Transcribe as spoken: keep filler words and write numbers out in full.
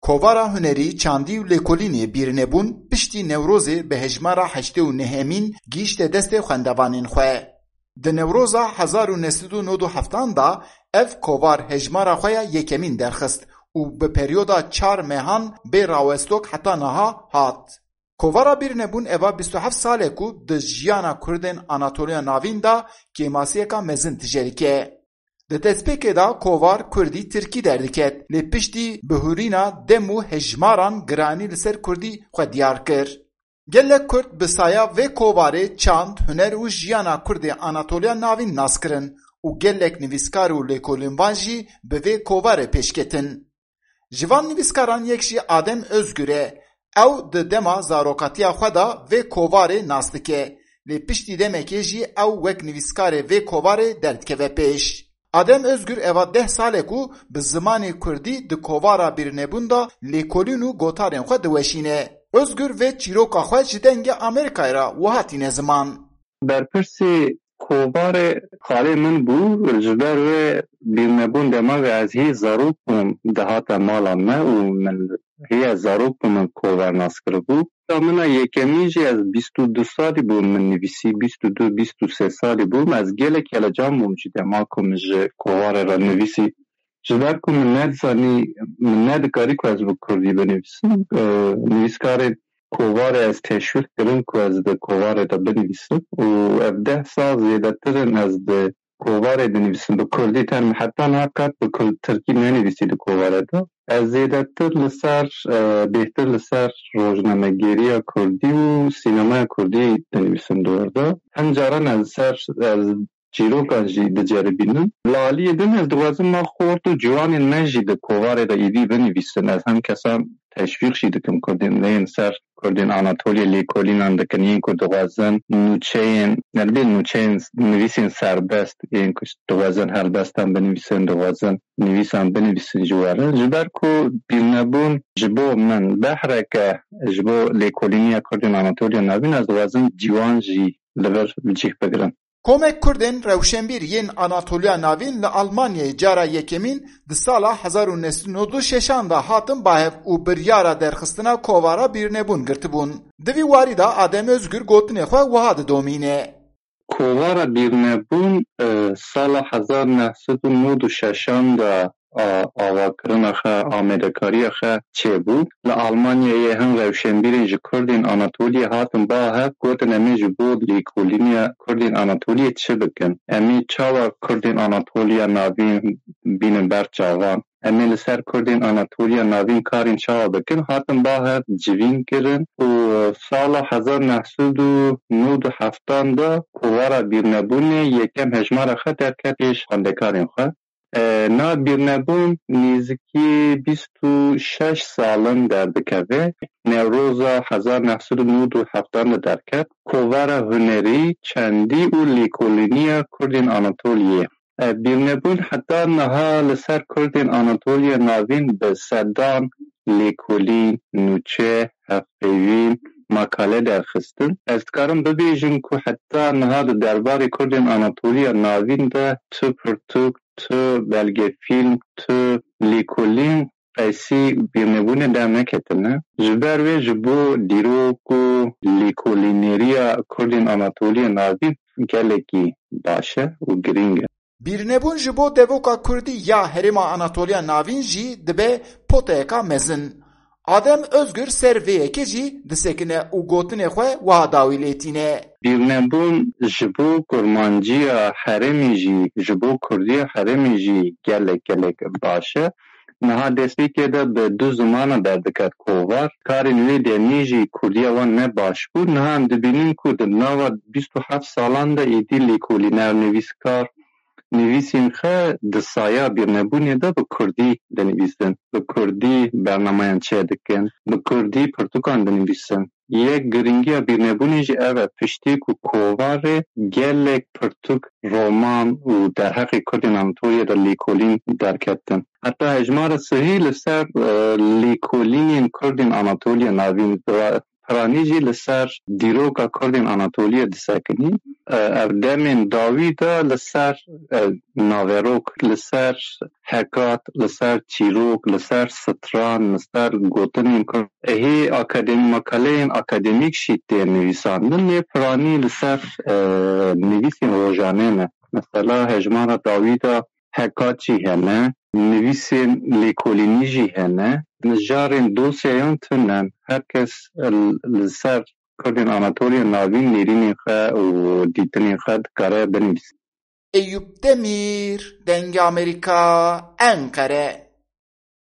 Kovara hunerî, çandî û lêkolînê Bîrnebûn piştî Newrozê bi hejmara heştê û nehemîn gihîşte destê xwendevanên xwe. Di Newroza hezar û neh sed û nod û heftan de ev kovar hejmara xwe ya yekemîn derxist û bi peryoda çar mehan bê rawestok heta niha hat. Kovara Bîrnebûn eva bîst û heft sal e ku di jiyana Kurdên Anatoliya Navîn de kêmasiyeka mezin tije dike. Di destpêkê de kovar kurdî tirkî derdiket, lê piştî bihurîna dem û hejmaran giranî li ser kurdî xwe diyar kir. Gelek kurd bi saya vê kovarê çand, huner û jiyana kurdê Anatoliya Navîn nas kirin û gelek nivîskar û lêkolînvan jî bi vê kovarê pêşketin. Ji van nivîskaran yek jî Adem Özgür e. Ew di dema zarokatiya xwe de vê kovarê nas dike. Lê piştî demekê jî ew wek nivîskarê vê kovarê derdikeve pêş. Adem Özgür eva deh sal e ku bi zimanê kurdî di kovara Bîrnebûn de lêkolîn û gotarên xwe diweşîne. Özgür vê çîroka xwe ji Dengê Amerîkayê re wiha tîne ziman. Berpirsê kovarê xalê min bû, ji ber wê Bîrnebûn dema wê ez hê zarok bûm dihate mala me û min hê ez zarok bûm min kovar nas kiribû. Ka min a yekemîn jî ez bîst û du salî bûm min nivîsî, bîst û du, bîst û sê salî bûm. Ez gelek helecan bûm jî dema ku min ji kovarê re nivîsî. Ji ber ku min nedizanî, min nedikarî ku ez bi kurdî binivîsim. E, nivîskarên kovarê ez teşwîq kirin ku ez di kovarê de binivîsim û ev deh sal zêdetir in ez di kovarê dinivîsim bi kurdî, tenê heta niha qet bi kurd, tirkî nenivîsî di kovarê de. Ez zêdetir li ser, e, bêhtir li ser rojnamegeriya kurdî û sînemaya kurdî dinivîsim di wir de. Hin caran ez li ser, ez çîrokan jî diceribînim. Li aliyê din ez dixwazim ma xort û ciwanên me jî di kovarê de êdî binivîsin. Ez hem kesan teşwîq jî dikim kurdên lê yên ser kurdên Anatoliyê lêkolînan dikin, yên ku dixwazin nûçeyên, ne dibê nûçeyên nivîsên serbest, yên ku dixwazin helbestan binivîsin, dixwazin nivîsan binivîsin ji we re. Ji ber ku Bîrnebûn ji bo min behreke ji bo lêkolîniya kurdên Anatoliya Navîn, ez dixwazim ciwan jî li vir bi cih bigirin. Komek Kurdên rewşenbîr yên Anatoliya Navîn li Almanyayê cara yekemîn di sala hezar û neh sed û nod û şeşan de hatin bahev û biryara derxistina kovara Bîrnebûn girtibûn. Di vî warî de Adem Özgür gotinê xwe wiha didomîne. Kovara Bîrnebûn, e, sala hezar neh sed û nod û şeşan de a, avakirina xwe, amadekariya xwe çêbû. Li Almanyayê hin rewşenbîrên ji Kurdên Anatoliyê hatin ba hev, gotin, em ê ji bo lêkolîniya Kurdên Anatoliyê çi bikin? Em ê çawa Kurdên Anatoliya Navîn bînin ber çavan? Em ê li ser Kurdên Anatoliya Navîn karên çawa bikin? Hatin ba hev civîn kirin û sala hezar neh sed û nod û heftan de kovara Bîrnebûnê yekem hejmara xwe derket pêş xwendekarên xwe. E, na Bîrnebûn nêzîkî bîst û şeş sal in derdikeve. Newroza hezar neh sed û nod û heftan de derket. Kovara hunerî, çandî û lêkolîniya Kurdên Anatoliyê. E, Bîrnebûn heta niha li ser Kurdên Anatoliya Navîn bi sedan lêkolîn, nûçe, hevpeyvîn, makale derxistin. Ez dikarim bibêjim ku heta niha di derbarê Kurdên Anatoliya Navîn de tu pirtûk, tu belgefîlm, tu lêkolîn qeysî Bîrnebûnê derneketine. Ji ber wê ji bo dîrok û lêkolîneriya Kurdên Anatoliya Navîn gelekî baş e û girîng e. Bîrnebûn ji bo devoka kurdî ya Herêma Anatoliya Navîn jî dibe poteyeka mezin. Adem Özgür ser vê yekê jî disekine û gotinê xwe wiha dawî lê tîne. Bîrnebûn ji bo kurmanciya herêmê jî, ji bo kurdiya herêmê jî gelek gelek baş e. Niha destpêkê de bi du zimana derdiket kovar. Karên wê demê jî kurdiya wan ne baş bû. Niha em dibînin ku di nava bîst û heft salan de êdî lêkolîner, nivîskar, nivîsên xwe di saya Bîrnebûnê de bi kurdî dinivîsin, bi kurdî bernameyan çêdikin, bi kurdî pirtûkan dinivîsin. Yek girîngiya Bîrnebûnê jî ev e, piştî ku kovarê gelek pirtûk, roman û derheqê Kurdên Anatoliyê de lêkolîn derketin. Heta hejmara sihî li ser, e, lêkolînên Kurdên Anatoliya Navîn di piranî jî li ser dîroka Kurdên Anatoliyê disekinî. E, ev demên dawî de li ser, e, naverok, li ser hekat, li ser çîrok, li ser stran, li ser gotinên Kurd. Hê akadem-, makaleyên akademîk jî tê nivîsandin, lê piranî li ser, e, nivîsên rojane ne. Mesela hejmara dawî de hekat jî hene, nivîsên lêkolînî jî hene. Mijarên dosyeyan tune ne. Her kes li, li ser Kurdên Anatoliya Navîn nêrînên xwe û dîtinên xwe dikare binivîse. Eyüp Demir, Dengê Amerîka, Enqere.